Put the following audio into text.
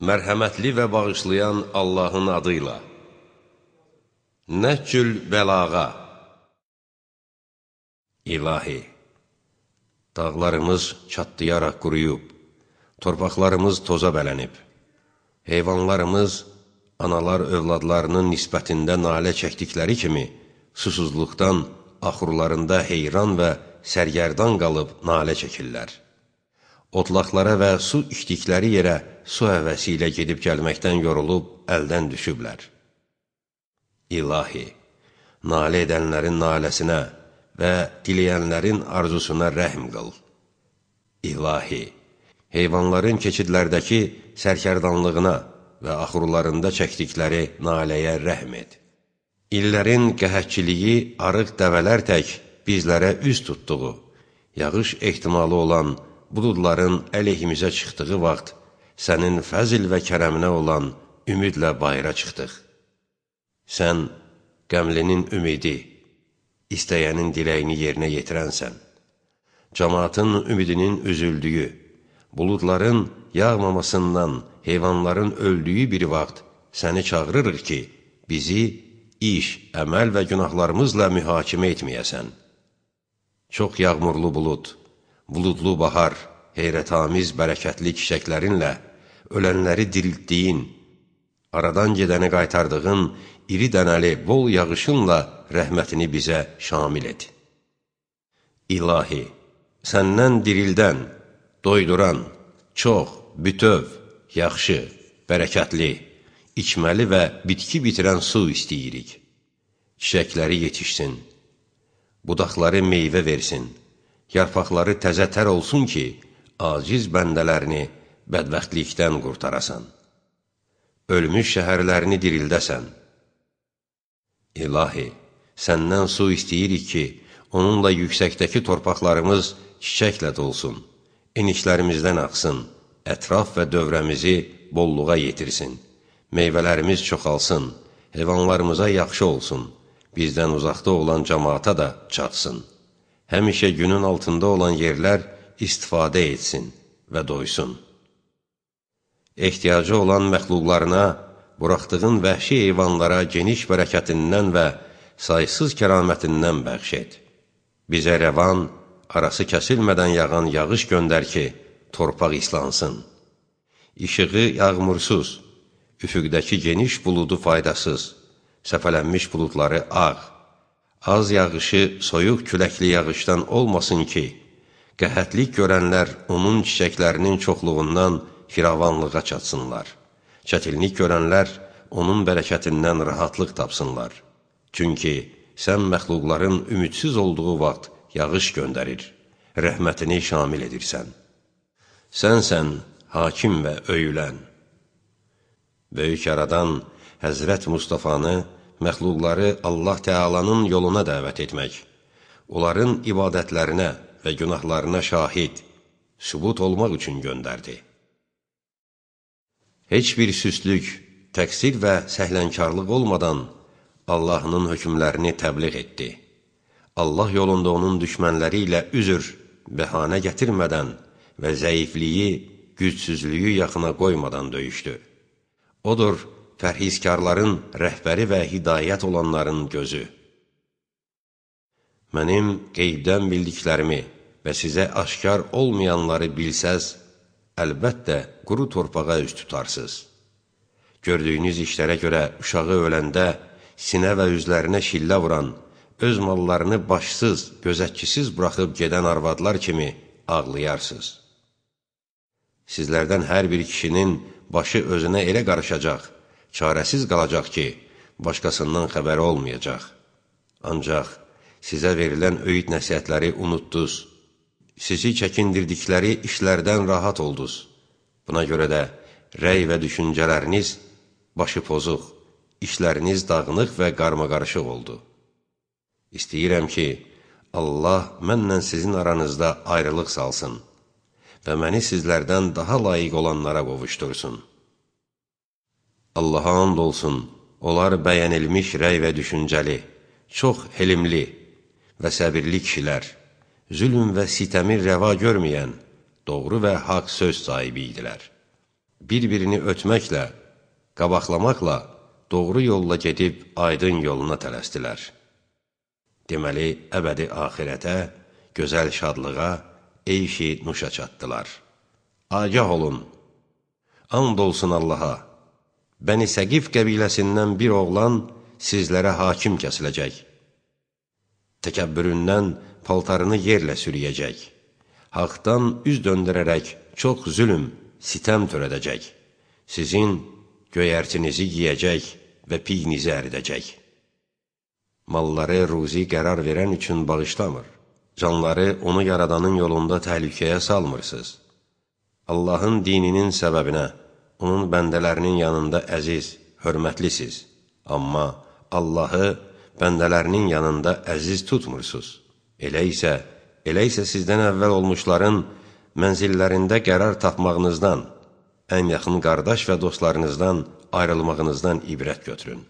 Mərhəmətli və bağışlayan Allahın adıyla. Nəhcül bəlağa. İlahi, dağlarımız çatlayaraq quruyub, torpaqlarımız toza bələnib, heyvanlarımız analar övladlarının nisbətində nalə çəkdikləri kimi, susuzluqdan axurlarında heyran və sərgərdan qalıb nalə çəkirlər. Otlaqlara və su içdikləri yerə su həvəsi ilə gedib gəlməkdən yorulub əldən düşüblər. İlahi, nalə edənlərin naləsinə və diləyənlərin arzusuna rəhm qıl. İlahi, heyvanların keçidlərdəki sərkərdanlığına və axurlarında çəkdikləri naləyə rəhm et. İllərin qəhətçiliyi arıq dəvələr tək bizlərə üz tutduğu, yağış ehtimalı olan buludların əleyhimizə çıxdığı vaxt, sənin fəzil və kərəminə olan ümidlə bayıra çıxdıq. Sən qəmlinin ümidi, istəyənin diləyini yerinə yetirənsən. Cəmaatın ümidinin üzüldüyü, buludların yağmamasından, heyvanların öldüyü bir vaxt səni çağırırıq ki, bizi iş, əməl və günahlarımızla mühakimə etməyəsən. Çox yağmurlu bulud, buludlu bahar, heyrətamiz bərəkətli çiçəklərinlə, ölənləri diriltdiyin, aradan gedəni qaytardığın, iri dənəli, bol yağışınla rəhmətini bizə şamil et. İlahi, səndən dirildən, doyduran, çox, bütöv, yaxşı, bərəkətli, içməli və bitki bitirən su istəyirik. Çiçəkləri yetişsin, budaqları meyvə versin, yarpaqları təzə tər olsun ki, aciz bəndələrini bədbəxtlikdən qurtarasan. Ölmüş şəhərlərini dirildəsən. İlahi, səndən su istəyirik ki, onunla yüksəkdəki torpaqlarımız çiçəklə dolsun, enişlərimizdən axsın, ətraf və dövrəmizi bolluğa yetirsin, meyvələrimiz çoxalsın, heyvanlarımıza yaxşı olsun, bizdən uzaqda olan cəmaata da çatsın. Həmişə günün altında olan yerlər istifadə etsin və doysun. Ehtiyacı olan məxluqlarına, buraxdığın vəhşi heyvanlara geniş bərəkətindən və saysız kəramətindən bəxş et. Bizə rəvan, arası kəsilmədən yağan yağış göndər ki, torpaq islansın. İşığı yağmursuz, üfüqdəki geniş buludu faydasız, səpələnmiş buludları ağ, az yağışı soyuq küləkli yağışdan olmasın ki, qəhətlik görənlər onun çiçəklərinin çoxluğundan firavanlığa çatsınlar. Çətinlik görənlər onun bərəkətindən rahatlıq tapsınlar. Çünki sən məxluqların ümidsiz olduğu vaxt yağış göndərir, rəhmətini şamil edirsən. Sənsən hakim və öyülən. Böyük yaradan Həzrət Mustafanı məxluqları Allah Teala'nın yoluna dəvət etmək, onların ibadətlərinə və günahlarına şahid, sübut olmaq üçün göndərdi. Heç bir süslük, təqsir və səhlənkarlıq olmadan Allah'ın hökmlərini təbliğ etdi. Allah yolunda onun düşmənləri ilə üzr, bəhanə gətirmədən və zəifliyi, gücsüzlüyü yaxına qoymadan döyüşdü. Odur, fərhizkarların rəhbəri və hidayət olanların gözü. Mənim qeybdən bildiklərimi və sizə aşkar olmayanları bilsəz, əlbəttə quru torpağa üst tutarsınız. Gördüyünüz işlərə görə uşağı öləndə sinə və üzlərinə şillə vuran, öz mallarını başsız, gözətçisiz buraxıb gedən arvadlar kimi ağlayarsınız. Sizlərdən hər bir kişinin başı özünə elə qarışacaq, çarəsiz qalacaq ki, başqasından xəbəri olmayacaq. Ancaq sizə verilən öyüd nəsihətləri unutdunuz, sizi çəkindirdikləri işlərdən rahat oldunuz. Buna görə də rəy və düşüncələriniz başı pozuq, işləriniz dağınıq və qarmaqarışıq oldu. İstəyirəm ki, Allah mənlə sizin aranızda ayrılıq salsın və məni sizlərdən daha layiq olanlara qovuştursun. Allaha and olsun, onlar bəyənilmiş rəy və düşüncəli, çox helimli və səbirli kişilər, zülm və sitəmi rəva görməyən, doğru və haqq söz sahibi idilər. bir-birini ötməklə, qabaqlamaqla doğru yolla gedib aydın yoluna tələsdilər. Deməli, əbədi axirətə, gözəl şadlığa, eyşi nuşa çatdılar. Agah olun, and olsun Allaha, Bəni Səqif qəbiləsindən bir oğlan sizlərə hakim kəsiləcək. Təkəbbüründən paltarını yerlə sürüyəcək. Haqdan üz döndürərək çox zülm, sitəm törədəcək. Sizin göyərtinizi yiyəcək və piyinizi əridəcək. Malları ruzi qərar verən üçün bağışlamır. Canları onu yaradanın yolunda təhlükəyə salmırsınız. Allahın dininin səbəbinə, onun bəndələrinin yanında əziz, hörmətlisiz. Amma Allahı bəndələrinin yanında əziz tutmursunuz. Elə isə sizdən əvvəl olmuşların mənzillərində qərar tapmağınızdan, ən yaxın qardaş və dostlarınızdan ayrılmağınızdan ibrət götürün.